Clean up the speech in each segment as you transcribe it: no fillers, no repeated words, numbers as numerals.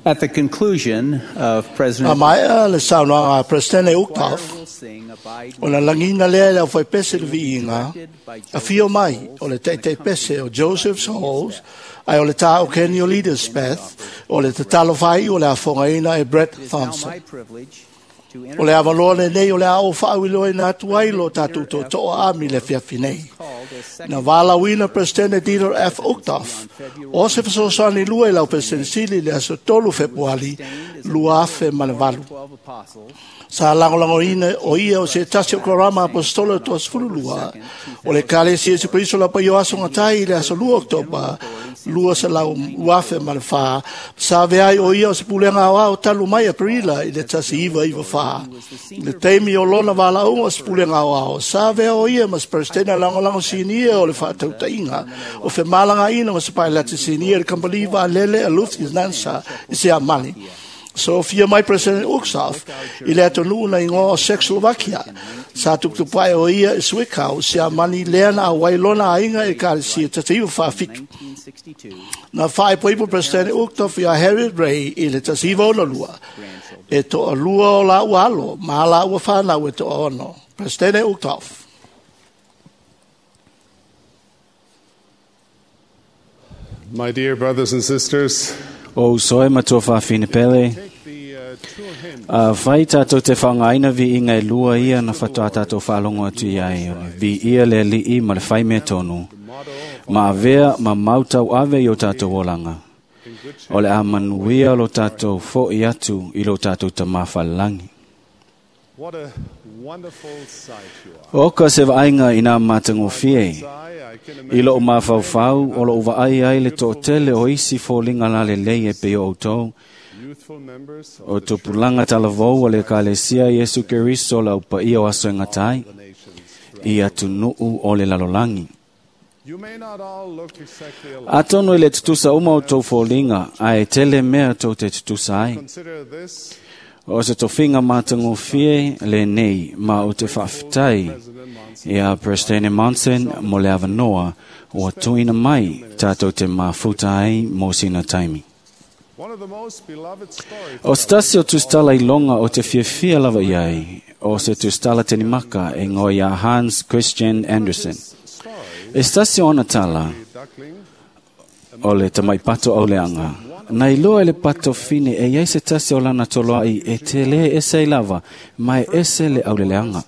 At the conclusion of A President maea le saunoaga a Peresetene Uchtdorf, will sing Abide o na lagina lea i le aufaipese le viiga, afio mai o le taitaipese o Joseph Souls, ae o le tā o Kenny o Leaderspeth, o le tatalo fai o le afogaina e Brett It is now Thompson. my privilege to O le avanoa lenei o le a o faauiloaina atu ai lo tātou totoa ami le fiafi nei. called as second Na valaauina Peresetene Dieter F. Uchtdorf, o se fesoasoani lua i lau Peresetene Sili le aso 3 Fepuari, 2008. 12 apostles Sa lagolagoina o ia o se tasi o korama apostolo e toa 12 o le Ekalesia Iesu Keriso la paio aso gatai i le aso 2 Oketopa 2004 sa avea ai o ia o se pulega aoao talu mai Aperila i le 1994. I le taimi o lona valaauga o se pulega aoao, sa avea o ia ma se Peresetene lagolago sinia o le faatautaiga o femalagaina ma se pailate sinia i le kamupani vaalele a Lufthansa i Siamani. Sofia mai President Uchtdorf i le atunuu na igoa o Czechoslovakia. Sa tuputupuae o ia i Zwickau, Siamani lea na auai lona aiga e Ekalesia 1947. 1962 Na faaipoipo President Uchtdorf ia Harriet Ray i le 1962. E toa lua o laua alo, ma laua whanau e toa ono. President Uchtdorf. My dear brothers and sisters, O uso e matua whawhine pele, take the two hymns a whai tātou te whangaina vi inga e lua ia na whatoa tātou whaalongo atu i ai. O le vi ia le li'i ma le whai mea tonu. Ma avea ma mautau ave i o tātou olanga. in good O le a manuia lo tātou fo i atu i lo tātou tamawhalangi. What a wonderful sight you are. O ka se vaaiga i nā matagofie. I can I loo imagine mafaufau o loo vaai ai le toatele o isi foliga lalelei e pei o outou. youthful members of O tupulaga talavou o le Ekalesia Iesu Keriso le aupaia o aso e gatai the nations. i atunuu o le lalolagi. You may not all look exactly alike. Atonu i le tutusa uma o tou foliga, ae tele mea tou te tutusa ai. Consider this O se tofiga matagofie lenei ma o te faafetai President Monson. ia President Monson mo le avanoa ua tuuina mai tātou te mafuta ai mo sina taimi. One of the most beloved stories O se tasi o tusitala i longa o te fiafia lava i ai, o se tusitala tenimaka e ngoa ia Hans Christian Andersen. story, E se tasi o ona tala the duckling, o le tamai pato au leanga. Na iloa e le pato fine e iai se tasi o lana toloai e te le ese i lava, ma e ese le auleleanga.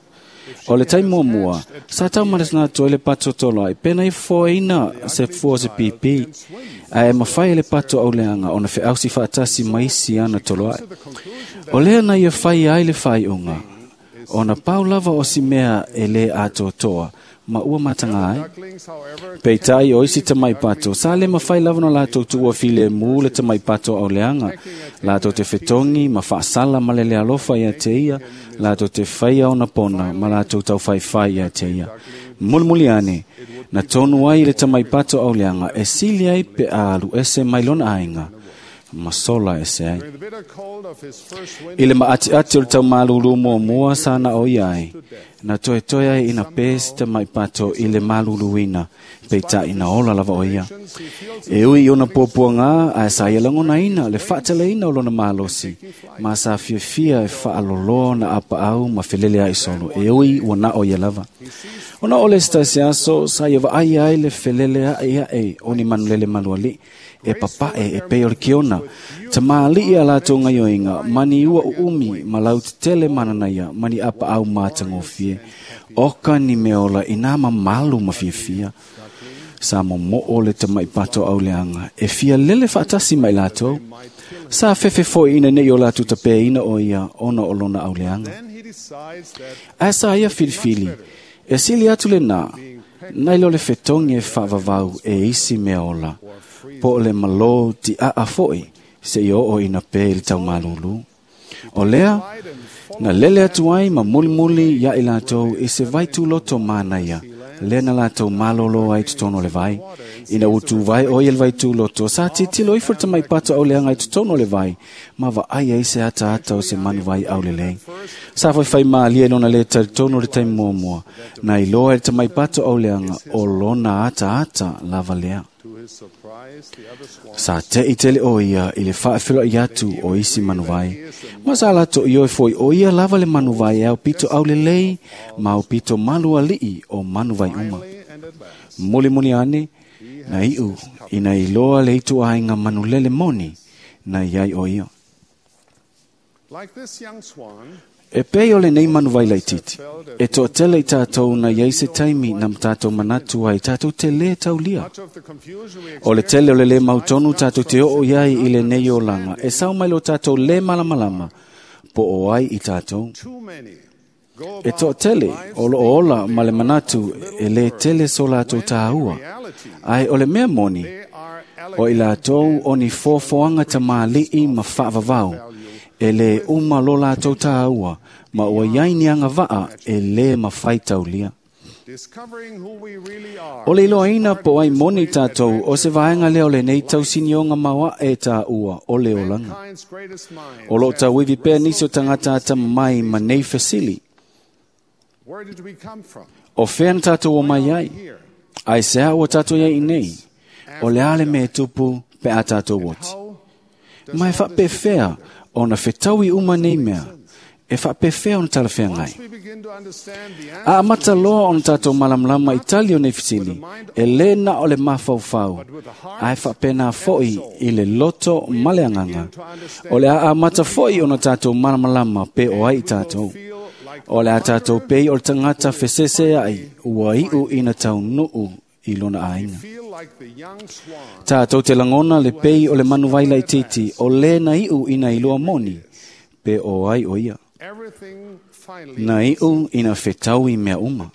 O le tai muamua, sa tau maresina atu ai le pato toloai, pena i foaina se fua o se pipi, ae e mawhai e le pato auleanga ona feausi faatasi maisi ana toloai. to the conclusion that O lea na ia whai ai le whaiunga, o na pau lava o si mea e le atoatoa, ma ua matanga ai. ducklings, however, Peitai o isi tamai pato, sa le mawhai lava no lātou tuua file mū le tamai pato au leanga. Lātou te fetongi, ma whaasala ma le le alofa ia te ia, lātou te whaia ona pona, ma lātou tau whaiwhai ia te ia. Mulimuli ane, na tonu ai le tamai pato au leanga, e sili ai pe a alu ese mai lona ainga, ma sola ese ai. during the bitter cold of his first I winter, le maatiati o le tau malulu mua mua sa na o ia ai. Na toe toe ai ina pē si tamai pato i le maluluina, peitai na ola lava o ia. he feels E ui i ona puapuaga ae sa ia lagonaina le faateleina o lona malosi, ma sa fiafia e faaloloa na apaau ma felele ai solo, e ui ua na o ia lava. Ona o le se aso, sa ia vaai ai le felele ae ae o ni manulele maluali, e papae e pei o le kiona. Ta maali a latou gaioiga, mani ua uumi ma lautetele mananaia, mani apaau matagofie. Oka ni meola i nā mamalu ma fiafia. Sa momoo le tamai pato au leanga, e fia lele faatasi mai latou. Sa fefe foi ina nei o latou tapeina o ia ona o lona au leanga. then he decides that Ae sa ia filifili, e sili atu le nā, nai lo le fetongi e whaavavau e isi mea ola, po o le malo ti aa foi, se i oo ina pē i le tau malulu. O lea, na lele atu ai ma mulimuli ia i latou i se vai tūloto mānaia, lea na latou malolo ai totonu o le vai. Ina ua tuvai o ia le vai tūloto, sa titilo ifo le tamai pato auleanga i totonu o le vai, ma vaai ai se ataata o se manu vai aulelei. Sa faifai mālie lona le talitonu o le taimi muamua, na iloa e le tamai pato auleanga o lona ataata lava lea. Sa te i tele o ia i le whaafelo i atu o isi manuvai. Ma sa lato i oi foi o ia lava le manuvai e au pito au lelei ma au pito malu alii o manuvai uma. Muli muli ane, na iu ina iloa le itu ainga manulele moni na iai o ia. E pei o le nei manuvai laititi, e toatele i tātou na iai se taimi na tātou manatu ai tātou te le taulia. O le tele o le le mautonu tātou te oo iai i le nei olanga, e sau mai lo tātou le malamalama, po o ai i tātou. E toatele o lo ola ma le manatu e le tele so lātou tāua, ai o le mea moni, o i lātou o ni fōfoanga ta māli'i ma whaavavau, e le uma lo lātou tāua, ma ua iai ni anga vaa e le mawhai taulia. O le iloaina po ai moni tātou o se vaenga leo le nei tausinionga maua e tāua o le olanga. O lo tauivi pēr nisi o tangata ata mai ma nei fesili. O whea na tātou o mai ai? Ai se ua tātou iai i nei? O le ale me tupu pe a tātou oti. Mai whape whea o na whetaui uma nei mea, e whapewhea o na talawhea ngai. A amata loa o na tātou malamlama i tali o nei fisili, e le na o le mawhauwhau, ai whapena foi i le loto male anganga. O le a amata foi o na tātou malamalama pe o ai i tātou. O le a tātou pei o le tangata whesese ai, ua iu ina tau nuu i lona ainga. Tātou te langona le pei o le manuvaila i titi, o le na iu ina iloa moni, pe o ai o ia. Na iu ina whetau i mea uma.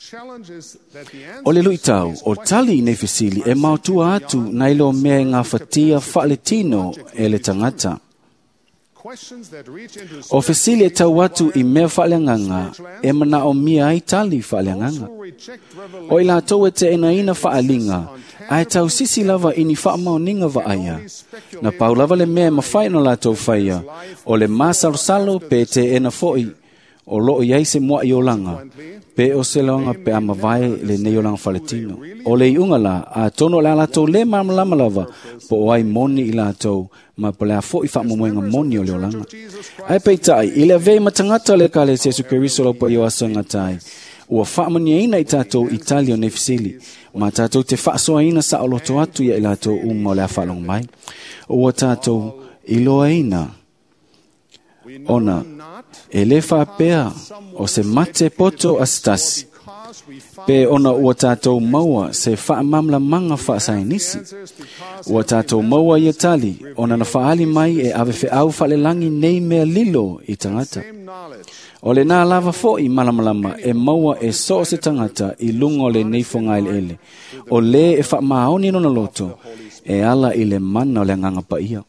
O le luitau, o tali i nei fesili e mautua atu na ilo mea ngā whatia whaaletino e le tangata. O fesili e tau atu i mea whaaleanganga e mana o mia ai tali whaaleanganga. O i lātou e te enaina whaalinga, ai tau sisi lava ini whaamaoninga vaaia. Na pau lava le mea mawhai no lātou whaia, o le māsalosalo pe te ena foi, o loo iai se mua i olanga, pe o se loanga pe a mavae le nei olanga whaletino. O le iunga la, a tono le a lātou le malamalama lava, po o ai moni i lātou, ma po le a foi whaamomoenga moni o le olanga. Ai peitai, i le avei matangata le kale Jesu Keriso lau pa i o aso ngatai, ua whaamaniaina i tātou i tali o nei fisili, ma tātou te whaasoaina sa o loto atu ia i lātou uma o le a whaalongo mai. Ua tātou iloaina ona e le whaapea o se mate poto a stasi, pe ona ua tātou maua se whaamamlamanga whaasainisi. Ua tātou maua ia tali, ona na whaali mai e ave wheau whalelangi nei mea lilo i tangata. O le nā lava foi malamalama e maua e so se tangata i lunga o le nei whangaile ele. O le e whaamaoni nona loto e ala i le mana o le nganga paia.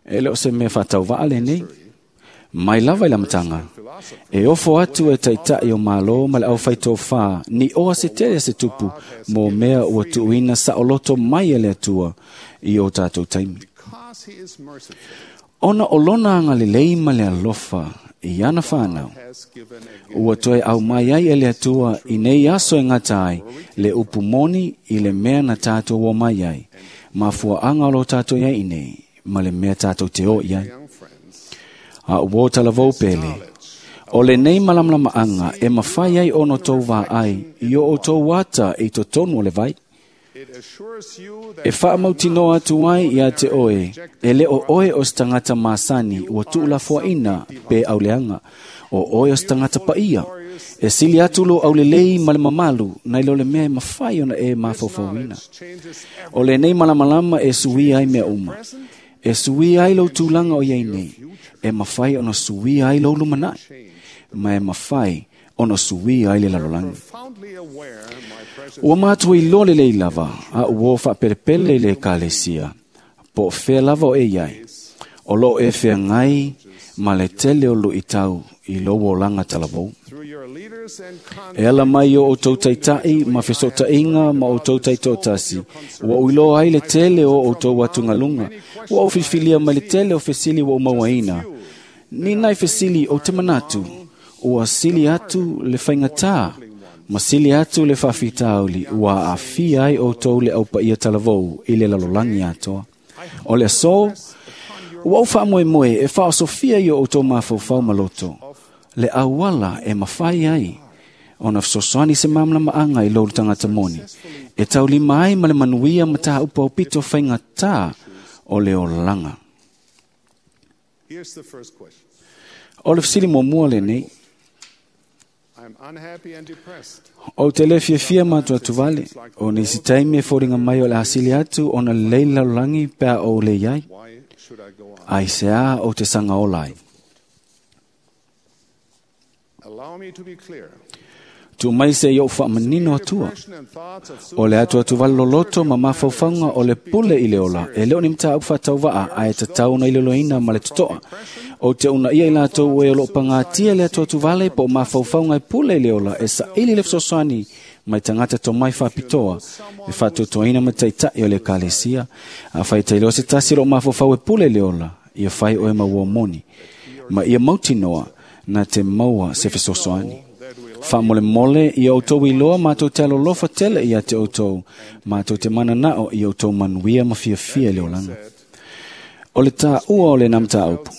E leo se mea whatau vaale nei. Mai lava i la matanga. E ofo atu e taitai o malo ma le au whaito wha, ni oa se tere se tupu mō mea ua tuuina sa o loto mai e le atua i o tātou taimi. Ona o lona anga le lei ma le alofa i ana whanau. Ua toe au mai ai e le atua i nei aso e ngata ai, le upu moni i le mea na tātou o mai ai. Mafua anga o lo tātou iai i nei, ma le mea tātou te o iai. A uo talavou pele, o le nei malamlama anga e mawhai ai ono tau wā ai, i o o tau wata i to tonu o le vai. E whaamautinoa atu ai ia te oe, e le o oe o stangata masani ua tuulafoaina pe auleanga, o oe o stangata paia. E sili atu lo aulelei ma le mamalu, nai lo le mea e mawhai ona e mawhaufauina. O le nei malamalama e suia ai mea uma. E suia ai lo tūlanga o iai nei, e mawhai ona suia ai lo lumanai, ma e mawhai ona suia ai le lalolangi. Ua mātua i lole lei lava, a ua whaaperepele le kalesia, po whea lava o e iai, o lo e whea ngai ma le tele o lo i tau i lo o langa talavou. E ala mai o o taitai ma fesotainga ma o taitotasi, ua uiloa ai le tele o o tau atungalunga, ua o filfilia mai le tele o fesili ua umauaina. Ni nai fesili o te manatu, ua sili atu le whaingatā Ma sili atu le faafitauli ua aafia ai outou le aupaia talavou i le lalolagi atoa. O le aso, ua ou faamoemoe e faaosofia i o outou mafaufau ma loto, le auala e mafai ai ona fesoasoani se malamalamaga i lou tagata moni, e taulima ai ma le manuia ma tāupu aupito faigata o le olaga. Here's the first question. O le fesili muamua lenei, I'm unhappy and depressed. Ou te le fiafia ma atu vale, o nisi taimi e foliga mai o le asili atu ona lelei le lalolagi pe a ou le iai. Why should I go on? Ai se a ou te saga ola ai. Allow me to be clear. Tuu mai se i ou faamanino atua. Depression and thoughts of O le atu atu vale loloto ma mafaufauga o le pule i le ola, e le o ni mataupu faatauvaa ae tatau ona iloiloina ma le totoa. Ou te uunaia i latou e o loo pagatia le atu atu vale po o mafaufauga e pule i le ola e saili le fesoasoani mai tagata tomai faapitoa e faatuatuaina ma taitai o le ekalesia. Afai tailoa se tasi o loo mafaufau e pule i le ola, ia fai oe ma ua moni. Ma ia mautinoa na te maua se fesoasoani. Faamolemole ia outou iloa matou te alolofa tele ia te outou, matou te mananao ia outou manuia ma fiafia i le olaga. O le tāua o le mataupu,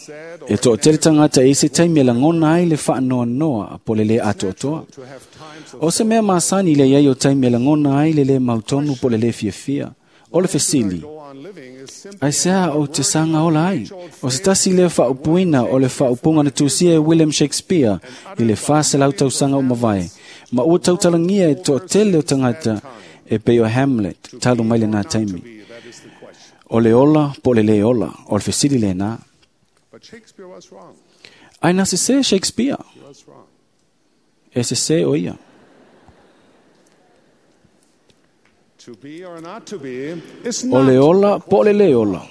e toatele tagata e i se taimi e lagona ai le faanoanoa po le lē atoatoa. To have times of O se mea masani le iai o taimi e lagona ai le lē mautonu po le lē fiafia. O le fesili, go on living is simply ai se a ou te saga ola ai. O se tasi lea faaupuina o le faaupuga na tusia e William Shakespeare i le 400 tausaga o mavae. Ma ua tautalagia e toatele o tagata e pei o Hamlet talu mai lena taimi. be, that is the question. O le ola po o le lē ola, o le fesili lena. But Shakespeare was wrong. Ai na sesē Shakespeare, He was wrong. e sesē o ia. To be or not to be is O not. le ola po o le lē ola,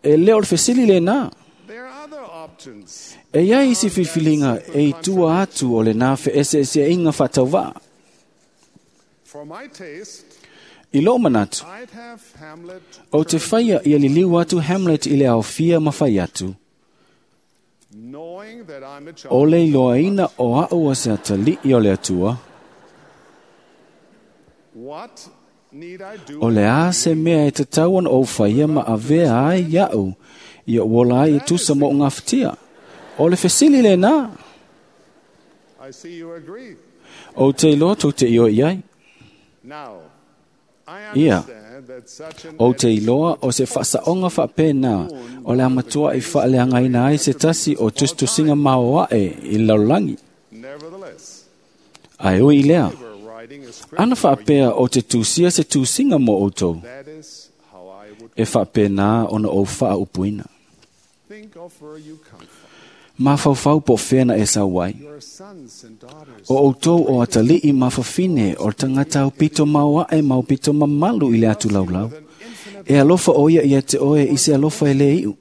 e le o le fesili lena. There are other options. E iai isi filifiliga e i tua atu o lena feeseeseaiga faatauvaa. For my taste, I lou manatu, I'd have Hamlet ou te faia ia liliu atu Hamlet i le aofia ma fai atu. knowing that I'm a child. O le iloaina o a'u o se atalii o le Atua, What need I do? o le a se mea e tatau ona ou faia ma avea ai ia'u, ia ou ola ai e tusa mo o gafatia. O le fesili lenā, I see you agree. ou te iloa tou te ioe i ai. Now, I Ia. understand that such an Ou te iloa o se faasaoga faapena o le amatua i faaleagaina ai se tasi o tusitusiga maoae i le lalolagi. Nevertheless, Ae ui i lea, we're writing a script. ana faapea o te tusia se tusiga mo outou, That is how I would e faapena ona ou faaupuina. think of where you come from. Mafaufau po o fea na e sau ai. Your sons and daughters. O outou o atalii mafafine o le tagata aupito maoae ma aupito mamalu i le atu laulau. E alofa o ia ia te oe i se alofa e le iu.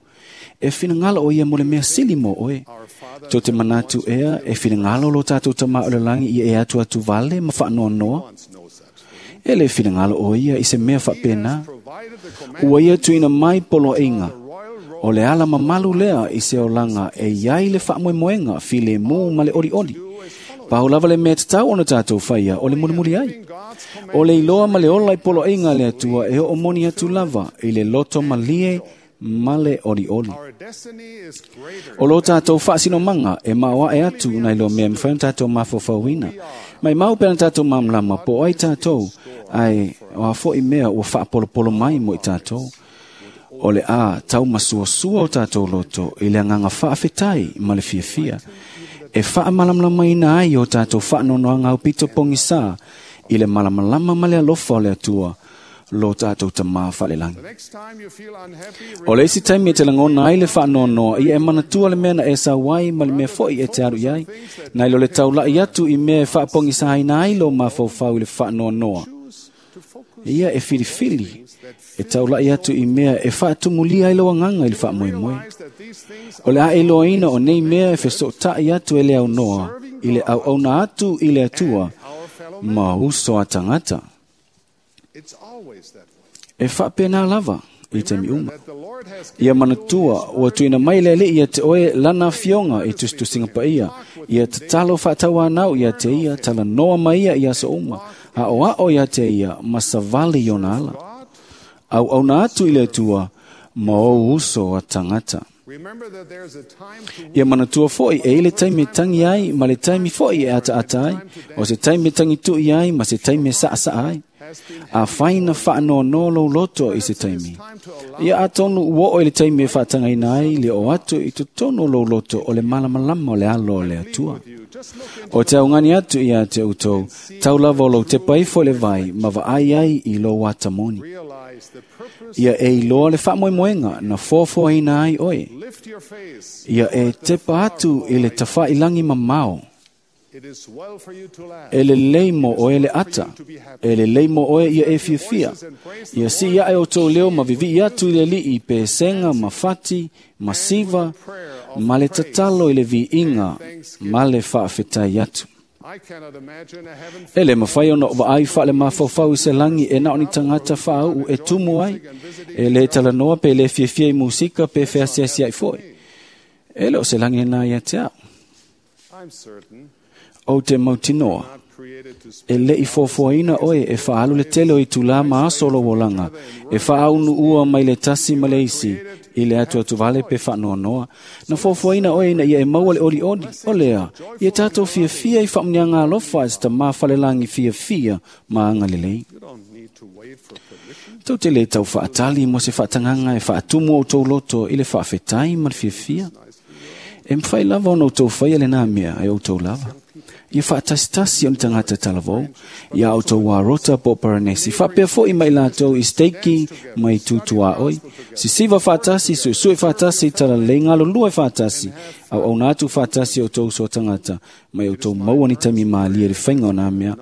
E finagalo o ia mo le mea sili mo oe. Our Father Tou te manatu ea e finagalo lo tātou tamā o le langi ia e atu atu vale ma faanoanoa. wants no such thing. E le finagalo o ia i se mea faapena. Provided the command Ua ia tuuina mai poloaiga. royal road O le ala mamalu lea i se olaga e iai le faamoemoega filemu ma le olioli. Pau lava le mea tatau ona tātou faia o le mulimuli ai. God's command O le iloa ma le ola i poloaiga a le Atua e oo moni atu lava i le loto malie ma le olioli. Our destiny is greater. O lo tātou faasinomaga e maoae atu nai lo mea e mafai ona tātou mafaufauina. Mai mau pe na tātou malamalama po o ai tātou, ae o a foi mea ua faapolopolo mai mo i tātou. O le a tau masuasua o tātou loto i le agaga faafetai ma le fiafia. E faamalamalamaina ai o tātou faanoanoaga aupito pogisā i le malamalama ma le alofa o le Atua lo tātou tamā faalelagi. The next time you feel unhappy, O le isi taimi e te lagona ai le faanoanoa, ia e manatua le mea na e sau ai ma le mea foi e te alu i ai. Nai lo le taulai atu i mea e faapogisaina ai lo mafaufau i le faanoanoa. choose to focus Ia e filifili e taulai atu i mea e faatumulia ai lo agaga i le faamoemoe. Realize that these things O le a iloaina o nei mea e fesootai atu e le aunoa i le auauna atu i le Atua our fellow man. ma uso a tagata. It's always that way. E faapena lava i taimi uma. That the Lord Ia manatua ua tuuina mai le Alii ia te oe lana afioga i tusitusiga paia. Ia tatalo faatauanau ia te ia, talanoa ma ia i aso uma, aoao ia te ia ma savali i ona ala. Auauna atu i le Atua ma ou uso a tagata. Remember that there's a time to Ia manatua foi e i le taimi e tangi ai ma le taimi foi e ataata ai, o se taimi e tagitu'i ai ma se taimi e saasaa ai. Afai na faanoanoa lou loto i se taimi, ia atonu ua oo i le taimi e faatagaina ai le oo atu i totonu o lou loto o le malamalama o le alo o le Atua. you. Just look into O te augani atu ia te outou, tau lava o lou tepa ifo i le vai ma vaai ai i lou atamoni. realize the purpose. Ia e iloa le faamoemoega na foafoaina ai oe. Lift your face. Ia e tepa atu i le tafailangi mamao. It is well for you to laugh. E lelei mo oe le ata. E lelei mo oe ia e fiafia. Ia sii ae o tou leo ma vivii atu i le alii pe sega ma fati, ma siva, ma le tatalo i le viiga, ma le faafetai atu. I cannot imagine a heaven E le mafai ona vaai faale mafaufau i se lagi e na o ni tagata faauu e tumu ai, e le talanoa pe le fiafia i musika pe feasiasi ai foi. E le o se lagi lena ia te au. I'm certain Ou te mautinoa, not created to e spend le i foafoaina oe e faaalu le tele o itulā ma aso o lou olaga, e faaunuua mai le tasi ma le isi, i le atu atu vale pe faanoanoa. Na foafoaina oe ina ia e maua le olioli, o lea, ia tatou fiafia i faamuniaga alofa i se tamā falelagi fiafia ma agalelei. You don't need to wait for permission. Tou te le tau faatali mo se faatagaga e faatumu o outou loto i le faafetai ma le fiafia. E mafai lava ona outou faia lenā mea e outou lava. Ia faatasitasi o ni tagata talavou, ia outou arota po o paranesi, faapea foi mai latou i steiki mai tutuaoi. Sisiva faatasi, suesue faatasi, talalelei galulue faatasi, auauna atu faatasi o outou uso a tagata, mai outou maua ni taimi malie i le faiga o nā mea.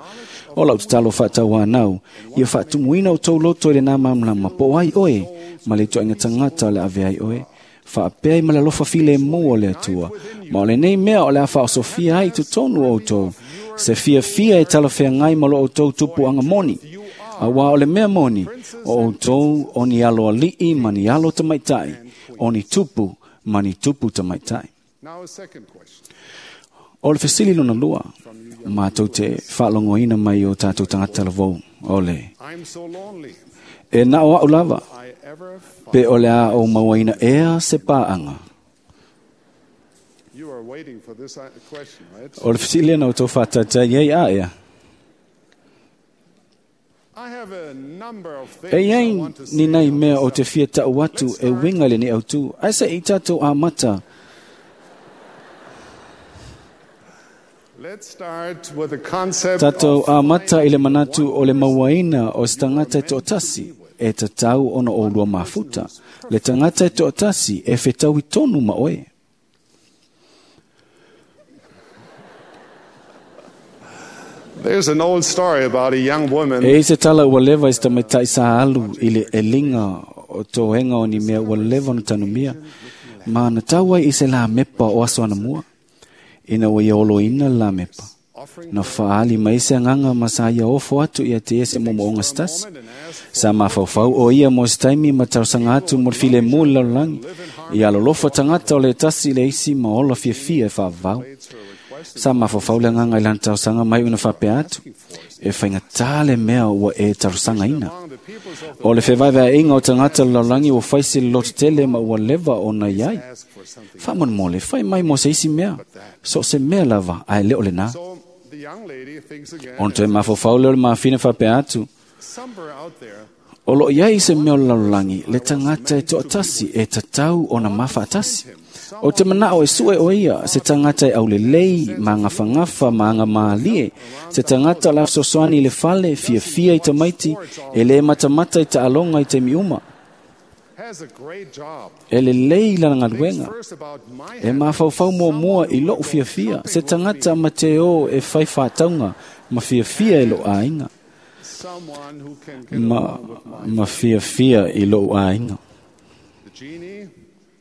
O lau tatalo faatauanau, ia faatumuina outou loto i lenā malamalama, po o ai oe, ma le ituaiga tagata o le ave ai oe. Faapea i ma le alofa filemu o le Atua. Ma o lenei mea o le a faaosofia ai i totonu o outou. Se fiafia e talafeagai ma lo outou tupuaga moni. Auā o le mea moni, o outou o ni alo ali'i ma ni alo tamaitai, o ni tupu ma ni tupu tamaitai. Now a second question. O le fesili lona lua, matou te faalogoina mai o tatou tagata lavou, o le, I'm so lonely. e na o au lava, I ever find pe o le a o mauaina ea se paaga. you are waiting for this question, right? O le fesili lena o tou faataitai ai a ea. I have a number of things E I iai want to ni say nai on mea this o te fia tau atu e winga i lenei autu. Ai se i tatou amata. Let's start with the concept Tatou of amata i le manatu o le mauaina o se tagata e toatasi e tatau ona oulua mafuta. Le tagata e toatasi e fetaui tonu ma oe. There's an old story about a young woman E i se tala ua leva i se tamaitai sa alu i le eliga o toega o ni mea ua leva ona tanumia, ma na tau ai i se la mepa o aso anamua. Ina ua ia oloina le la mepa. offering Na faali mai se agaga ma sa ia ofo atu ia te ia se momoonga se tasi. and asked Sa mafaufau o ia mo se taimi ma talosaga atu mo le filemu i le lalolagi. Ia alolofa tagata o le tasi i le isi ma ola fiafia e faavavau. her request Sa mafaufau le agaga i lana talosaga mai ona faapea atu. E faigata le mea ua e talosagaina. among the peoples of the O le fevaevaeaiga o tagata o le lalolagi ua fai se loto tele ma ua leva ona i ai. ask for something. Faamolemole, fai mai mo se isi mea. So se mea lava, ae le o lenā. So the young lady thinks again, Ona toe mafaufau lea o le mafine faapea atu. somewhere out there, O loo iai se mea o le lalolagi, le tagata e toatasi e tatau ona mafaatasi. O te manao e sue o ia, se tagata e aulelei, ma gafagafa, ma agamālie, se tagata o le fesoasoani i le fale, fiafia i tamaiti, e lē matamata i taaloga i taimi uma. has a great job. E lelei lana Thinks galuega. first about my E mafaufau muamua i lou fiafia, se tagata ma te o e fai faatauga, ma fiafia i lou aiga. someone who can get Ma, along with my ma fiafia i lou aiga. The genie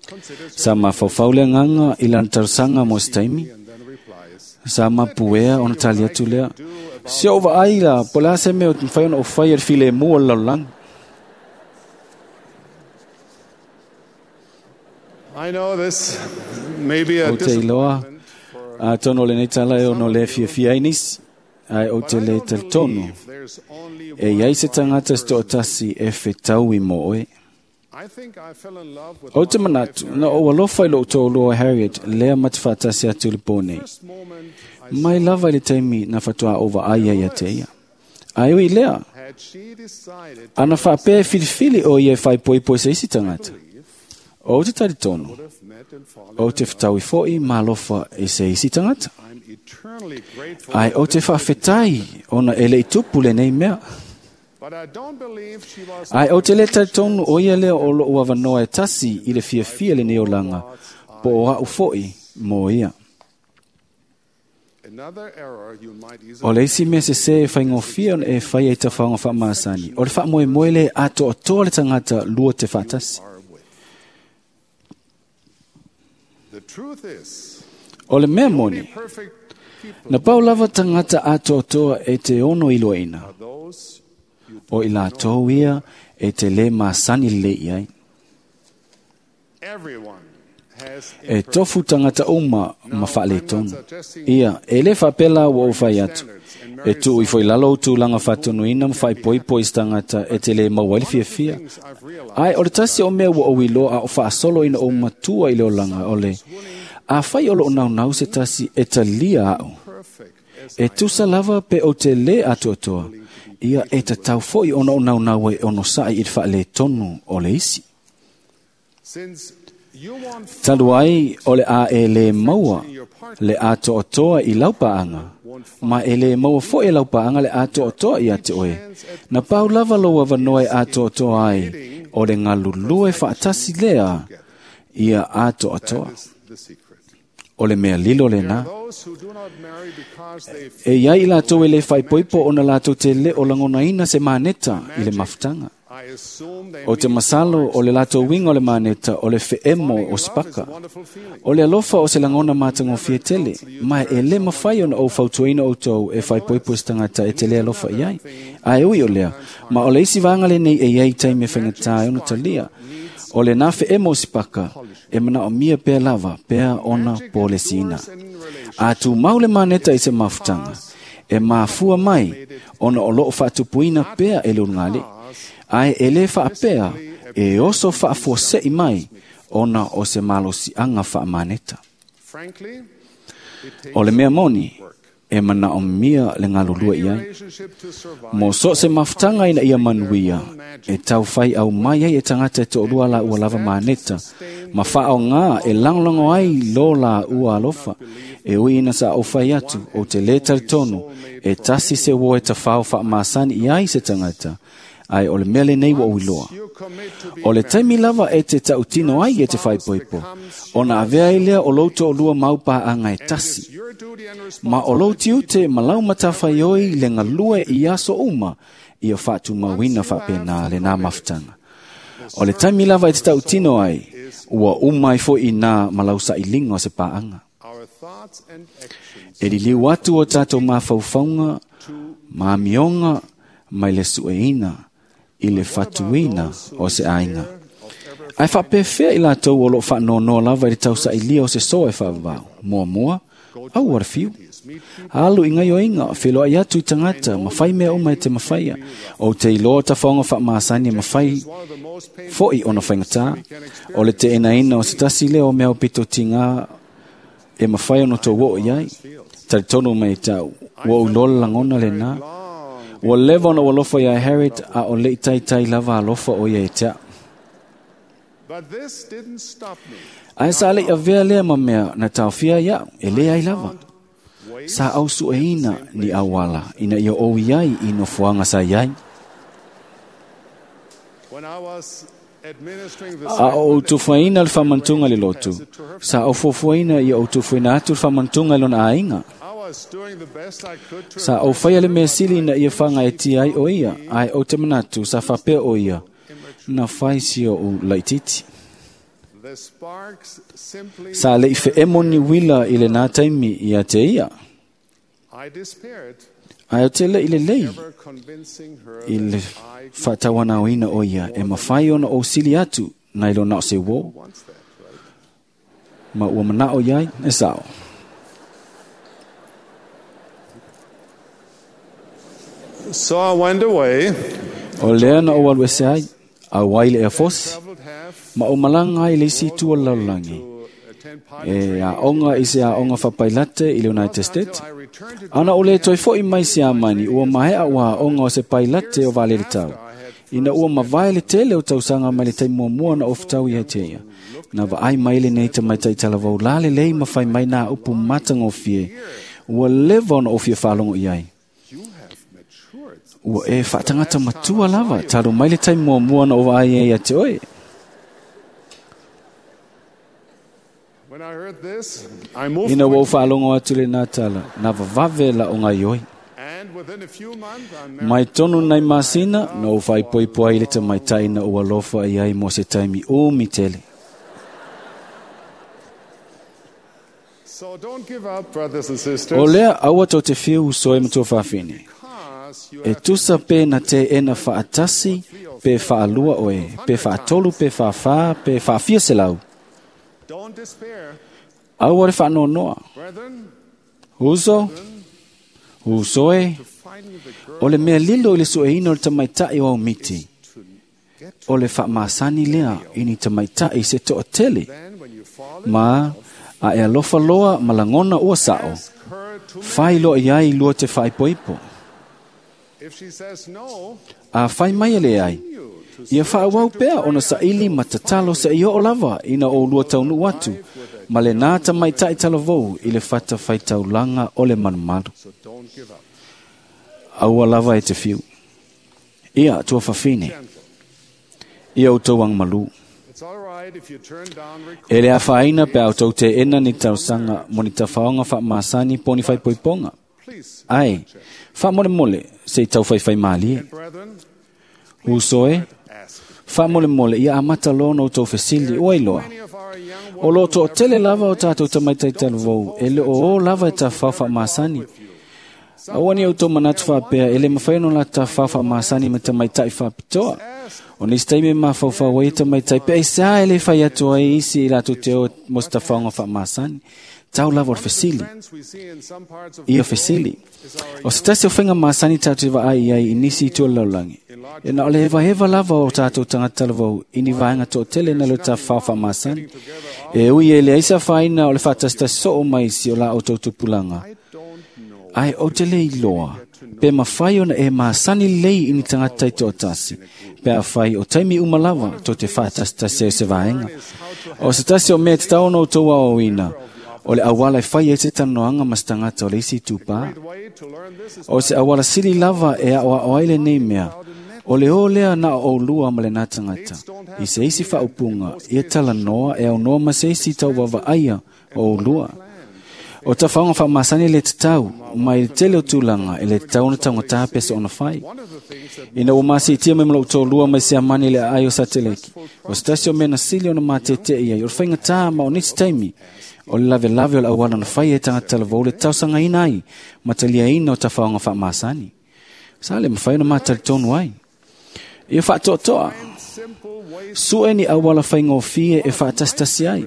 considers her Sa mafaufau le agaga i lana talosaga mo se taimi, and then replies, sa mapuea ona tali atu lea. Se o vaai la, po le a se mea o te mafai ona o fai e le filemu o le lalolagi. I know this may be a Ou te iloa, disappointment for atonu o lenei tala e ono le fiafia ai nisi, ae ou but te I le don't talitonu. believe there's only E one iai se right tagata se person. toʻatasi e fetaui mo oe. I think I fell in love with Ou te my wife manatu, na ou alofa i lou toʻalua Harriet, lea ma te faatasi atu i le pō nei. First moment I Mai lava i le taimi na fatoā ou vaai ai ia te ia. Ae ui lea, had she decided to ana faapea e filifili o ia e faaipoipo i se isi tagata. Ou te talitonu, would have met and fallen ou te in love. fetaui foʻi ma alofa i se isi tagata. I'm eternally grateful Ae that ou te this didn't faafetai ona e lei tupu lenei mea. But I don't believe she was Ae ou te le talitonu o ia lea o lou avanoa e tasi i le fiafia lenei olaga, po o a'u foʻi mo ia. Another error you might easily O le isi mea sesē e faigofie ona e faia i tafaoga faamasani, o le faamoemoe le atoatoa le tagata lua te faatasi. are with. The truth is, O le mea only moni, perfect people na pau lava tagata atoatoa e te ono iloaina, are those you o i latou ia e te lē masani lelei i ai. everyone has E tofu tagata uma ma faaletonu. Ia, e lē faapea ua ou fai atu. E tuu ifo i lalo o tulaga faatonuina ma faaipoipo i se tagata e te lē maua ai le fiafia. Ae o le tasi o mea ua ou iloa a o faasolo ina ou matua i le olaga o le afai o loo naunau se tasi e talia aʻu. perfect as E tusa lava pe ou te lē atoatoa. Ia e tatau foʻi ona ou naunau e onosaʻi i le faaletonu o le isi. since you won't Talu ai o le a e lē maua le atoatoa i laupaaga, ma e lē maua foʻi e laupaaga le atoatoa ia te oe. Na pau lava lou avanoa e atoatoa ai, o le galulue faatasi lea ia atoatoa. is the secret. O le mea lilo lenā. Those who do not marry because they E iai i latou e lē faaipoipo ona latou te lē o lagonaina se maneta i le mafutaga. I assume they O te mean masalo o le latou uiga o le maneta o le feemo falling in o love is sipaka. a wonderful feeling. O le alofa o se lagona matagofie tele, ma e lē mafai ona ou fautuaina outou e faaipoipo i se tagata e te lē alofa i ai. Ae ui o lea, ma o le isi vaega lenei e iai taimi e faigata ai ona talia. O le nā feemo o sipaka, e manaomia pea lava, pea ona polesiina. A tumau le maneta i se mafutaga, e mafua mai ona o loo faatupuina pea e le ulugalii. Ae e lē faapea e oso faafuaseʻi mai ona o se malosiaga faamaneta. Frankly, it takes O le mea moni, e manaomia le galulue i ai. relationship to survive. Mo so se mafutaga ina ia manuia, e taufai au mai ai e tagata e toʻalua laua lava maneta, ma faaogā e lagolago ai lo laua alofa, e ui ina sa ou fai atu, ou te lē talitonu, e tasi se uo e tafao faamasani i ai se tagata, ae o le mea lenei ua ou iloa. You commit to be O le taimi lava e te tautino ai e te faaipoipo, ona avea ai lea o lou toʻalua mau paaga e tasi. your duty and Ma o lou tiute ma lau matafaioi le galue i aso uma, ia faatumauina faapenā lenā mafutaga. O le taimi lava e te tautino ai, ua uma ai foʻi nā ma lau saʻiliga o se paaga. our thoughts and actions E liliu atu o tatou mafaufauga, ma amioga mai le sueina i le fatuina o se aiga. Ae faapefea i latou o loo faanoanoa lava i le tausaʻilia o se soa e faavavau. Muamua, aua le fiu. Alu i gaioiga, feloai atu i tagata, ma fai mea uma e te mafaia. Ou te iloa tafaoga faamasani e mafai one of the most painful foʻi ona faigatā. O le teenaina o se tasi lea o mea o pitotigā e mafai ona tou oo i ai. Talitonu mai tau, ua ou iloa le lagona lenā. Ua leva ona ua alofa iā Harriet a o leʻi taitai lava alofa o ia e te a'u. But this didn't stop me. Ae sa leʻi avea lea ma mea na taofia ai aʻu, e lē ai lava. Sa au sueina ni auala ina ia ou i ai i nofoaga sa iai. When I was administering the A o ou sacrament tufuaina le faamantuga le lotu, sa ou fuafuaina ia ou tufuaina atu le faamantuga i lona aiga. I was doing the best I could to Sa ou faia le mea sili ina ia fagaetia ai o ia, ae ou te manatu sa faapea o ia, na fai si ou laititi. The sparks simply Sa leʻi feemo ni uila i lenā taimi ia te ia. I despaired Ae o te leʻi lelei ever convincing her i le that I faatauanaoina o ia e mafai ona ou sili atu nai lo na o se uō. wants that, right? Ma ua mana'o i ai e sa'o. So I went away, O lea na ou alu ese ai, auai le eafosi, traveled half ma ou malaga ai le isi itu o le lalolagi. to attend pilot E aoga i se aoga faapailate i le United States. I returned to Ana o le toe fo'i mai Siamani, ua maea ua aoga o se pailate o vaalele tau. Ina ua mavae le tele o tausaga mai le taimi muamua na ofutau ia te ia. Na vaai mai lenei tamaitai talavou la lelei ma fai mai nā upu matagofie. Ua leva ona ou fia faalogo i ai. You have matured. Ua e faatagata matua lava, talu mai le taimi muamua na ou vaai ai ia te oe. When I heard this, I moved Ina ua ou quickly, faalogo atu le nā tala, na vavave la o ngai oi. and within a few months, I married Mai tonu nai masina, na ou faaipoipo ai le tamaitai na ua alofa i ai mo se taimi umi tele. So don't give up, brothers and sisters. O lea aua tau te fiu uso e matua faafine. Because you E have tusa pe na te ena faatasi, pe faalua oe, pe faatolu, pe faafā, pe faafia selau. don't despair, Aua le faanoanoa. brethren, Uso, uso e, to finding the girl o le mea lilo i le sueina o le tamaitai o aumiti. to get to. O le faamasani lea i ni tamaitai se toatele. Then when you fall in Ma a e alofa loa ma lagona ua sa'o. ask her to marry. Fai loa i ai lua te faaipoipo. If she says no, A fai mai e le ai. you to Ia faauau pea ona saili ma tatalo se i oo lava ina o lua taunuu atu, ma le nā tamaitai talavou i le fata faitaulaga o le malumalu. so don't give up. Aua lava e te fiu. Ia tua fafine, Gentle. ia outou agamalu. It's all right if you turn down requests. E le afaina pe a outou teena ni talosaga mo ni tafaoga faamasani po o ni faaipoipoga. Please. Ai, faamolemole se i taufaifaimālie. And brethren, Uso e, ask. faamolemole ia amata loa ona outou fesili ua iloa. Many of our young O loo toatele lava o tatou tamaitai talavou e le o o lava e tafao faamasani. Aua ni outou manatu faapea e le mafai ona la tafao faamasani ma tamaitai faapitoa. O nisi taimi e mafaufau ai tamaitai pe aisea e le fai atu ai isi i latou te o mo se tafaoga faamasani. Tau lava o le fesili. friends we see in some parts of Ia the fesili. world is our O se tasi o faiga masani tatou te vaai i ai i nisi itu o le lalolagi. E na o le hevaheva lava o tatou tagata talavou i ni vaega toatele na le tafao faamasani. E ui e leai se afaina o le faatasitasi soo mai si o la outou tupulaga. I don't know. Ai o te le iloa, pe mafai ona e masani lelei i ni tagata i toatasi, pe afai o taimi uma lava tou te faatasitasi ai o se vaega. O se tasi o mea tatau ona outou aoaoina, o le auala e fai ai se talanoaga ma se tagata o le isi itupā. Great way to learn this is O se auala sili lava e aoao ai lenei mea, o le o lea na o oulua ma lenā tagata. I se isi faaupuga, ia talanoa e aunoa ma se isi tauvavaaia o oulua. O tafaoga faamasani le tatau, mai le tele o tulaga e le tatau ona taugata pe se ona fai. one of the things that Ina ua masiitia mai ma lou tolua mai Siamani le aai o Sateleki. O se tasi o mea na sili ona matetee ai, o le faigatā ma o nisi taimi, o le lavelave o le auala na fai e tagata talavou le tausagaina ai, ma taliaina o tafaoga faamasani. Sa le mafai ona matalitonu ai. Ia faatoatoa, simple ways sue ni auala faigofie e faatasitasi ai.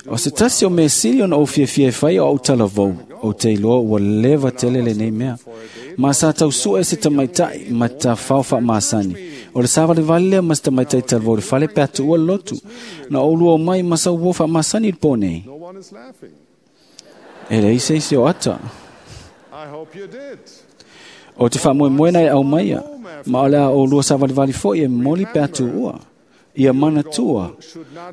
O se tasi o mea sili ona ou fiafia e fai o au talavou, ou te iloa ua leva tele lenei mea. Ma sa tau sue se tamaitai ma tafao faamasani. O le savalevale lea ma se tamaitai talavou i le fale pe atuua le lotu. Na ou lua o mai ma sau uo faamasani i le pō nei. no one is laughing. E leai se isi o ata. I hope you did. O te faamoemoena e au maia, ma o le a o lua savalivali foi e momoli pe atuua. Ia manatua,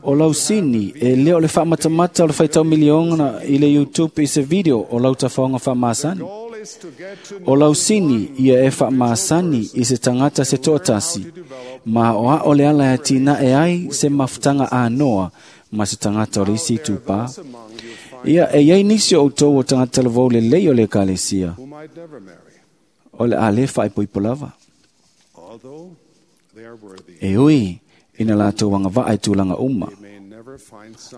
o lau sini e lea o le faamatamata o le faitau miliona i le YouTube i se video o lau tafaoga faamasani. Goal is to get to O lau sini ia e faamasani i se tagata se toatasi, ma o ao le ala e atinae ai se mafutaga anoa ma se tagata o le isi itupā. among you find Ia e iai nisi o outou o tagata talavou lelei o le ekalesia, who might never marry, o le a lē faaipoipo lava. although they are worthy. E ui, ina latou agavaa i tulaga uma. They may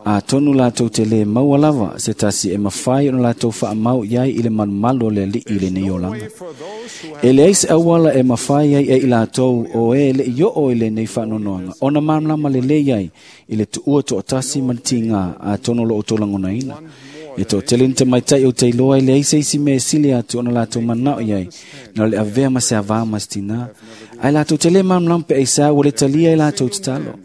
Atonu latou te lē maua lava se tasi e mafai ona latou faamau i ai i le malumalu o le Alii i lenei olaga. E leai se auala e mafai ai e i latou o e le'i oo i lenei faanoanoaga ona malamalama lelei ai i le tuua toatasi ma le tigā atonu o lo outou lagonaina. E toatele ni tamaitai ou te iloa e leai se isi mea e sili atu ona latou manao i ai na o le avea ma se avā ma se tinā. Ae latou te lē malamalama pe aisea ua le talia e latou tatalo.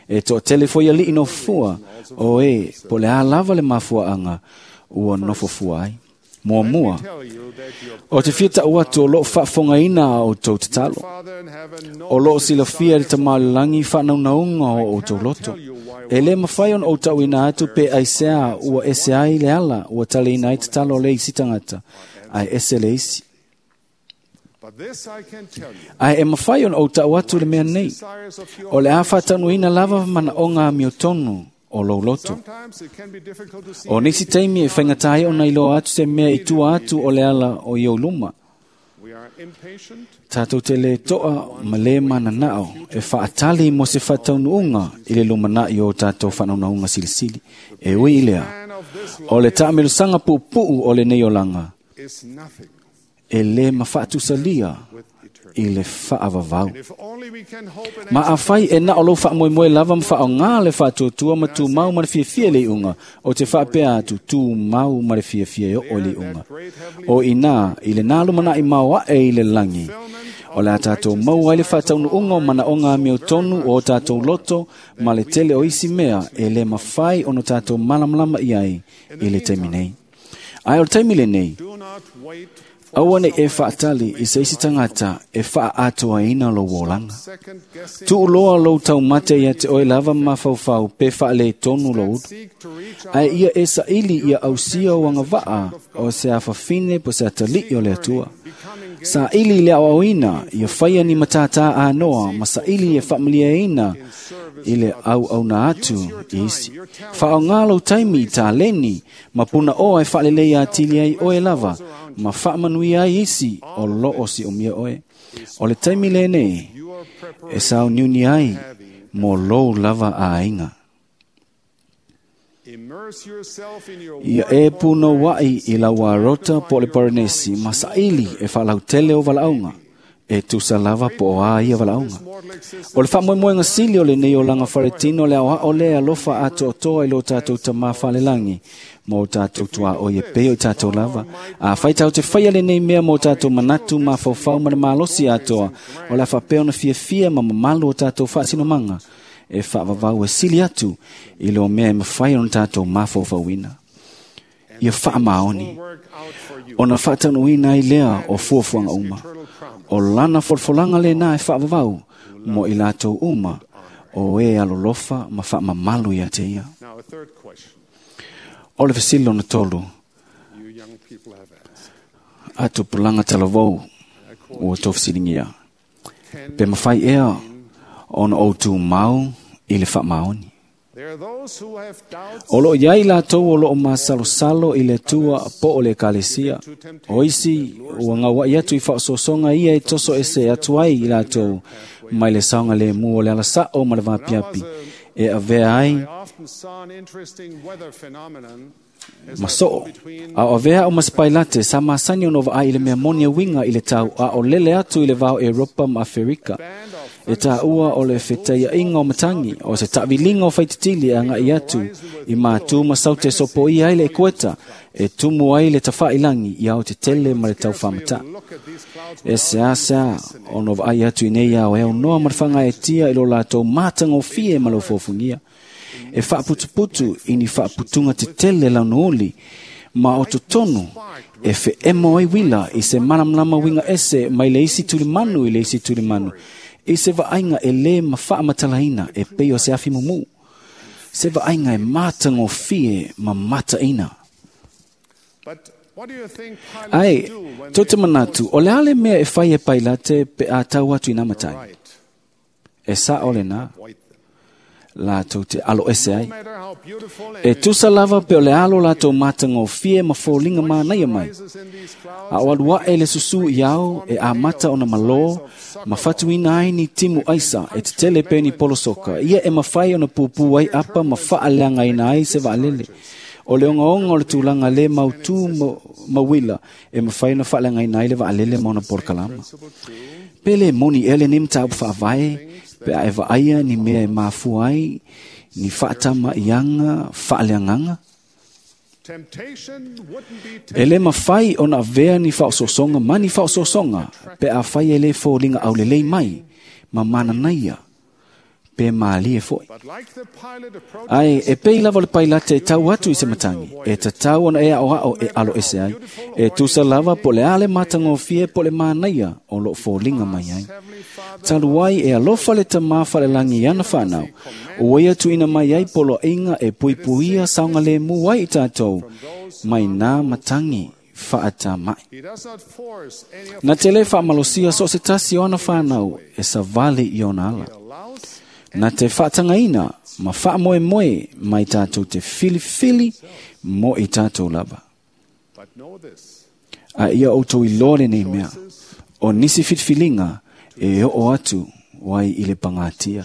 E toatele foi alii nofofua o e po o le a lava le mafuaaga ua nofofua ai. Muamua, o te fia ta'u atu o loo faafofogaina a outou tatalo. O loo silafia e le Tamā o le lagi faanaunauga o outou loto. E lē mafai ona ou ta'uina atu pe aisea ua ese ai le ala ua taliina ai tatalo a le isi tagata ae ese le isi. Ae e mafai ona ou ta'u atu le mea nei, o le a faataunuuina lava manaoga amiotonu o lou loto. O nisi taimi e faigata ai ona iloa atu se mea i tua atu o le ala o i ou luma. Tatou te lē to'a ma lē manana'o e fa'atali mo se fa'ataunuuga i le lumana'i o tatou fa'anaunauga silisili. E ui i lea, o le ta'amilosaga pu'upu'u o lenei olaga e lē mafa'atusalia i le fa'avavau. Ma afai e na o lou fa'amoemoe lava ma fa'aogā le fa'atuatua ma tumau ma le fiafia i le iuga, o te fa'apea atu tumau ma le fiafia e oo i le iuga. O inā i lenā lumana'i maoa'e i le lagi, o le a tatou maua ai le fa'ataunuuga o manaoga amiotonu o o tatou loto ma le tele o isi mea e lē mafai ona tatou malamalama i ai i le taimi nei. Ae o le taimi lenei, aua nei e fa'atali i se isi tagata e fa'aatoaina lou olaga. Tu'uloa lou taumate ia te oe lava mafaufau pe fa'aletonu lou ulu. Ae ia e sa'ili ia ausia o agava'a o se afafine po se atali'i o le Atua. Sa'ili i le aoaoina ia faia ni matātā anoa ma sa'ili e fa'amaliaina i le auauna atu i isi. Fa'aaogā lou taimi i taleni ma puna'oa e fa'alelei atili ai oe lava ma fa'amanuia ai isi o loo si'omia oe. O le taimi lenei e sauniuni ai mo lou lava aiga. Ia e punoua'i i lau arota po o le paranesi ma sa'ili e fa'alautele o vala'auga e tusa lava po o a ia vala'auga. O le fa'amoemoega sili o lenei olaga faletino le aoa'o lea alofa atoatoa i lo tatou Tamā falelagi ma o tatou tuaoi e pei o i tatou lava. Afai tatou te faia lenei mea mo tatou manatu mafaufau ma le malosi atoa, o le a fa'apea ona fiafia ma mamalu o tatou fa'asinomaga e fa'avavau e sili atu i lo mea e mafai ona tatou mafaufauina. Ia fa'amaoni ona fa'ataunuuina ai lea o fuafuaga uma. O lana folafolaga lenā e fa'avavau mo i latou uma o e alolofa ma fa'amamalu ia te ia. O le fesili lona tolu a tupulaga talavou ua tou fesiligia, pe mafai ea ona ou tumau i le fa'amaoni. O loo iai latou o loo masalosalo i le Atua po o le Ekalesia. O isi ua gaua'i atu i fa'aosoasoga ia e toso ese atu ai i latou mai le saogalēmū o le alasa'o ma le vapiapi e avea ai ma so'o. A o avea o ma se pailate sa masani ona vaai i le mea moni e uiga i le tau a o lele atu i le vao Eropa ma Aferika. E tāua o le fetaia'iga o matagi o se ta'aviliga o faititili e aga'i atu i mātū ma saute sopoia ai le ekueta e tumu ai le tafa'ilagi i ao tetele ma le taufāmatā. E seāseā ona vaai atu i nei ao e aunoa ma le fagaetia i lo latou matagofie ma le ofofogia. E fa'aputuputu i ni fa'aputuga tetele launuuli ma o totonu e fe'emo ai uila i se malamalama uiga ese mai le isi tulimanu i le isi tulimanu i se va'aiga e lē mafa'amatalaina e pei o se afi mumū, se va'aiga e matagofie ma mata'ina. Ae tou te manatu o le a le mea e fai e Pailate pe a tau atu i nā matagi? E sa'o lenā. Latou te alo ese ai. E tusa lava pe o le alo latou matagofie ma foliga manaia mai. A o alu aʻe le susū i ao e amata ona malō ma fatuina ai ni timu aisa e tetele pe ni polosoka. Ia e mafai ona pupū ai apa ma faaleagaina ai se vaalele. O le ogaoga o le tulaga lē mautū mauila e mafai ona faaleagaina ai le vaalele ma ona polokalama. Pe lē moni ea lenei mataupu faavae pe a e vaaia ni mea e mafua ai ni faatama'iaga faaleagaga? E lē mafai ona avea ni faaosoosoga ma ni faaosoosoga pe afai e lē foliga aulelei mai ma mananaia pe malie fo'i. Ae e pei lava o le pailate e tau atu i se matagi, e tatau ona e aʻoaʻo e alo ese ai, e tusa lava po o le a le matagofie po o le manaia o loo foliga mai ai. Talu ai e alofa le Tamā falelagi i ana fanau, ua ia tuuina mai ai poloaiga e puipuia saogalēmū ai i tatou mai nā matagi faatama'i. Na te lē faamalosia so o se tasi o ana fanau e savali i ona ala. Na te faatagaina ma faamoemoe mai tatou te filifili mo i tatou lava. A ia outou iloa lenei mea, o nisi filifiliga e oo atu ai i le pagatia.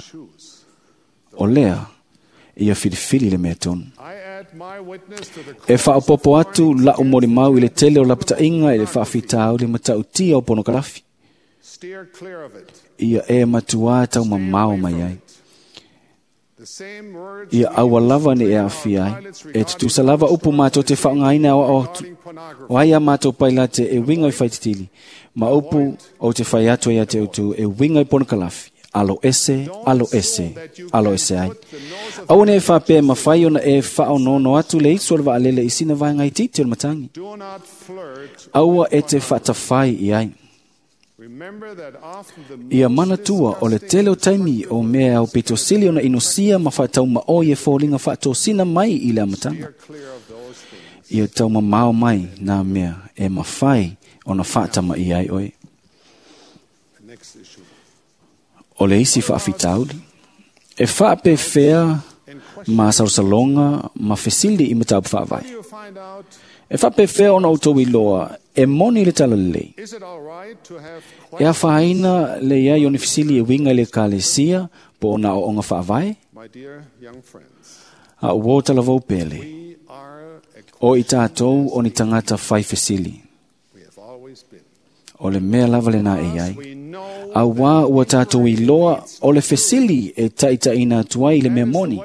O lea, ia filifili le mea tonu. E faaopopo atu la'u molimau i le tele o lapata'iga i le faafitauli matautia o ponokalafi. Ia e matuā taumamao mai ai. Ia aua lava ne e aafia ai. E tutusa lava upu matou te faaaogaina aoao atu. O ai a matou pailate e uiga i faititili, ma upu ou te fai atu ai ia te outou e uiga i ponokalafi. Alo ese, alo ese, alo ese ai. Aua ne e faapea e mafai ona e faaonono atu le isu o le vaalele i sina vaega itiiti o le matagi. Aua e te faatafai i ai. Ia manatua o le tele o taimi o mea aupito sili ona inosia ma faataumaoi e foliga faatosina mai i le amataga. Ia taumamao mai nā mea e mafai ona faatamaia ai oe. O le isi faafitauli, e faapefea masalosaloga ma fesili i mataupu faavae. E faapefea ona outou iloa e moni le talalelei. E afaina le iai o ni fesili e uiga i le ekalesia po o na aoaoga faavae? A ua o talavou pele, o i tatou o ni tagata fai fesili. O le mea lava lenā e iai. Auā ua tatou iloa o le fesili e taitaʻina atu ai i le mea moni.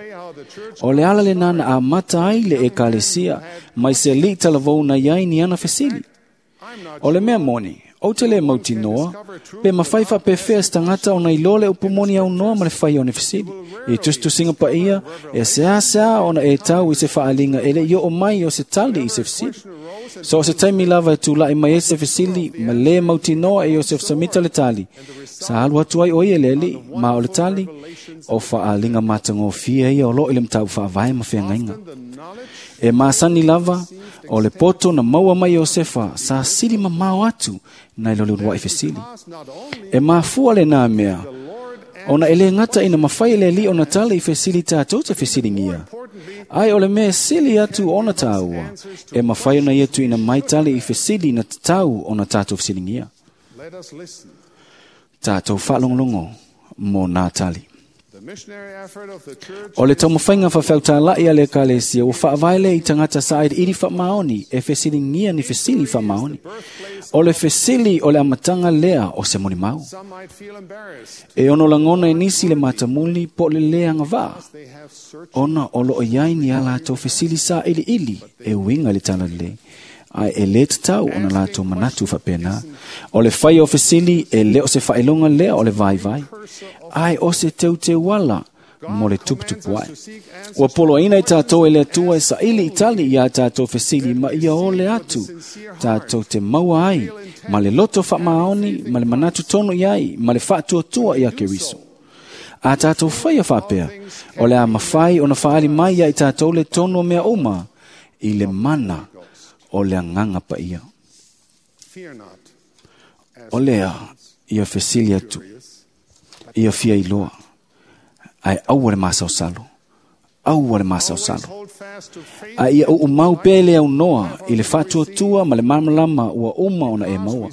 O le ala lenā na amata ai le ekalesia mai se aliʻi talavou na iai ni ana fesili. O le mea moni, ou te lē mautinoa, pe mafai faapefea se tagata ona iloa le upu moni aunoa ma le fai o ni fesili. I tusitusiga paia, e seāseā ona e tau i se faaliga e leʻi oo mai o se tali i se fesili. So o se taimi lava e tulaʻi mai ai se fesili ma lē mautinoa e Iosefa Samita le tali. Sa alu atu ai o ia le aliʻi, ma o le tali, o faaliga matagofie ia o loo i le mataupu faavae ma feagaiga. E masani lava, o le poto na maua mai Iosefa sa sili mamao atu nai lo le uluaʻi fesili. E mafua lenā mea, ona e lē gata ina mafai e le aliʻi ona tali i fesili tatou te fesiligia. Ai o le mea sili atu ona tāua, e mafai ona ia tuuina mai tali i fesili na tatau ona tatou fesiligia. Tatou faalogologo mo nā tali. O le taumafaiga faafeautalaʻi a le ekalesia ua faavae lea i tagata sailiili faamaoni e fesiligia ni fesili faamaoni. O le fesili o le amataga lea o se molimau. E ono lagona e nisi le matamuli po o le lē agavaa, ona o loo iai ni a latou fesili sailiili e uiga i le talalelei, ae e lē tatau ona latou manatu faapena. O le faia o fesili e lē o se faailoga lea o le vaivai, ae o se teuteuala mo le tuputupu ae. Ua poloaina i tatou e le Atua e saili i tali iā tatou fesili ma ia ole atu tatou te maua ai ma le loto faamaoni ma le manatu tonu i ai ma le faatuatua ia Keriso. A tatou faia faapea, o le a mafai ona faaali mai ia i tatou le tonu o mea uma i le mana o le Agaga Paia. O lea, ia fesili atu, ia fia iloa, Ae aua le masalosalo, aua le masalosalo. Hold fast to faith A ia uumau pea le aunoa i le faatuatua ma le malamalama ua uma ona e maua.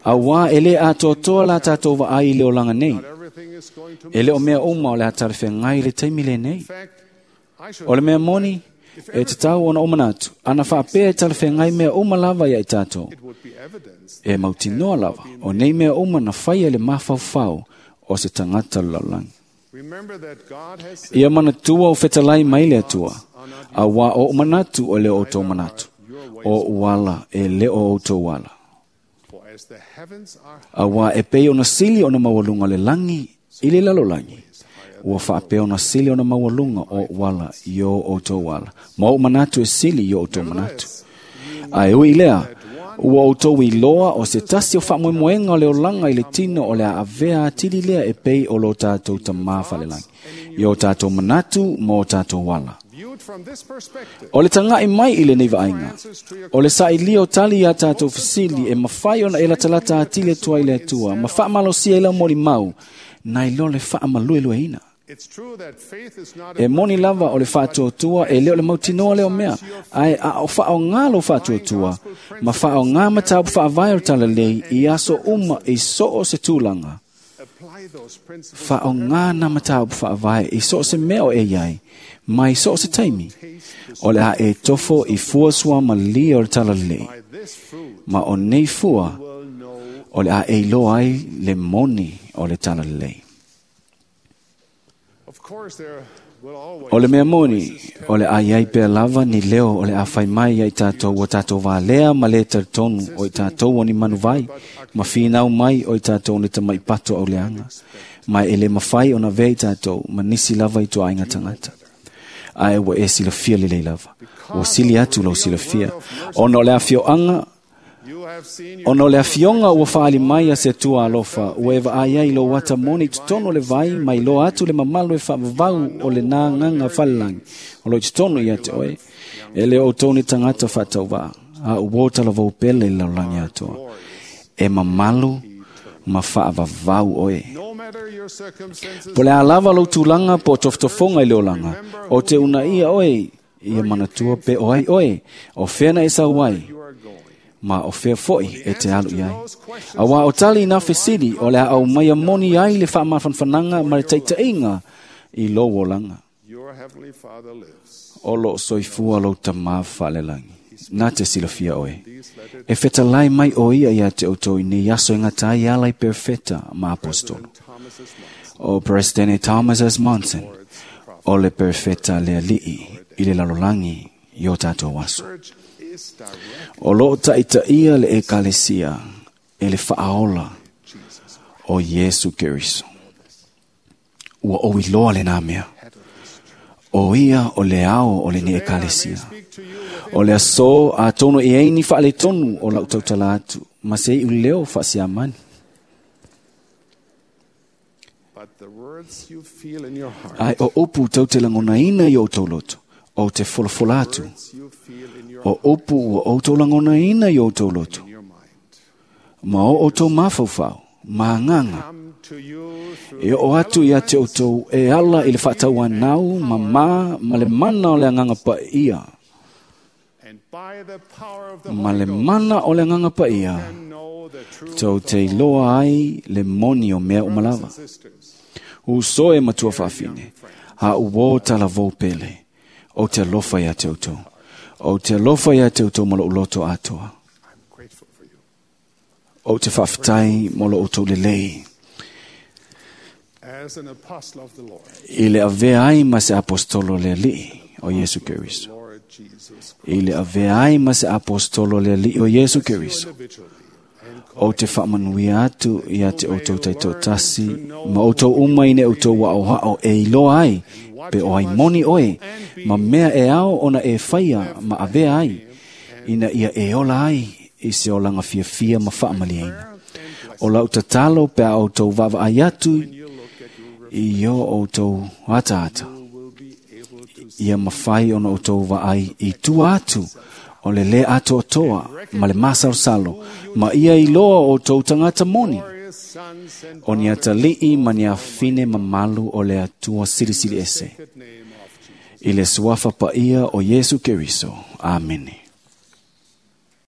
Auā e lē atoatoa la tatou vaai i le olaga nei. everything is going to E le o mea uma o le a talafeagai i le taimi lenei. fact. I should O le mea moni, e tatau ona ou manatu, ana faapea e talafeagai mea uma lava ia i tatou. would be evidence E mautinoa lava, o nei mea uma na faia i le mafaufau o se tagata o le lalolagi. Remember that God has said, Ia manatua o fetalai mai le Atua, auā o ou manatu o le o outou manatu, o ou ala e le o outou ala. for as the heavens are Auā e pei ona sili ona maualuga le lagi i le lalolagi, ua faapea ona sili ona maualuga o ou ala i o outou ala, ma ou manatu e sili i o outou manatu. Ae ui i lea, ua outou iloa o se tasi o faamoemoega o le olaga i le tino o le a avea atili lea e pei o lo tatou tamā falelagi, i o tatou manatu ma o tatou ala. viewed from this perspective, O le taga'i mai i lenei vaaiga, o le sa'ilia o tali iā tatou fesili e mafai ona e latalata atili atu ai le Atua ma faamalosia i lau molimau, nai lo le faamaluelueina. it's true that faith is not E moni lava o le faatuatua e le o le mautinoa lea o mea, ae a o faaaogā lou faatuatua, ma faaaogā mataupu faavae o le talalelei i aso uma i so o se tulaga. apply those principles Faaaogā nā mataupu faavae i so o se mea o e iai, mai so o se taimi. O le a e tofo i fua sua malia o le talalelei, by this fruit ma o nei fua will know o le a e iloa ai le moni o le talalelei. Of course there will always O le mea moni, o le a iai pea lava ni leo o le a fai mai ia i tātou ua tātou valea ma le talitonu o i tātou o ni manuvai, ma finau mai o i tātou ni tamai pato au leanga. Mai e le mawhai o na vea i tātou, ma nisi lava i tua ainga tangata. Ae ua e silafia lelei lava. Ua sili atu lau silafia. Ona o le afioanga you have seen Ona o le afioga ua faaali mai a se Atua alofa, ua e vaai ai lou ata moni i totonu o le vai, mai loa atu le mamalu e faavavau o le nagaga falelagi, o lo i totonu ia te oe. E le o outou ni tagata faatauvaa, a ua o talavou pele i le lalolagi atoa. E mamalu ma faavavau oe. no matter your circumstances Po le a lava lou tulaga po o tofotofoga i le olaga, o te unaia oe ia manatua pe o ai oe, o fea na e sau ai, you are going. ma o fea fo'i e te alu i ai. Auā o tali i nā fesili o le a au mai a moni ai le faamafanafanaga ma le taitaiga i lou olaga. Your heavenly Father lives. O loo soifua lou tamā faalelagi. Na te silafia oe. E fetalai mai o ia ia te outou i nei aso e gata ai ala i perfeta ma apostolo. Thomas S. Monson, O Presidente Thomas S. Monson, o le perfeta le ali'i i le lalolagi i o tatou aso. Church is direct O loo taitaia le ekalesia e le faaola Jesus. o Iesu Keriso. Ua ou iloa lenā mea. O ia o le ao o lenei ekalesia. Speak to you with O le aso atonu e ai ni faaletonu o lau tautala atu, ma se iu leo faasiamani. but the words you feel in your heart, Ae o upu tau te lagonaina i outou loto, o te folafola atu. words you feel in your O upu ua outou lagonaina i outou loto, in your mind, ma o outou mafaufau, ma agaga, come to you through E oo atu ia te outou e ala i le faatauanau ma mā ma le mana o le agaga paia. and by the power of the Ma Holy le Ghost mana o le agaga paia, can know the truth tou te iloa ai le moni o mea uma lava. and sisters. Uso e matua faafine, a uo talavou pele, o te alofa ia te outou. O te alofa ia te outou ma lou loto atoa. I'm grateful for you. O te faafetai mo lo outou lelei. As an apostle of the Lord, I le avea ai ma se apostolo le alii o Iesu Keriso. Lord Jesus Christ, I le avea ai ma se apostolo le alii o Iesu Keriso. individually and O te faamanuia atu ia te outou taitoatasi ma outou uma ina e outou aoao e iloa ai pe o ai moni oe ma mea e ao ona e faia ma avea ai ina ia e ola ai i se olaga fiafia ma faamaliaina. O lau tatalo pe a outou vaavaai atu you look at your i o outou ataata. will be able to Ia mafai ona outou vaai i tua atu o le lē atoatoa ma le masalosalo ma ia iloa o outou tagata moni. Glorious sons and O ni daughters atalii ma ni afine mamalu o le Atua Silisili Ese. sacred name of Jesus. I le suafa paia o Iesu Keriso. Amene.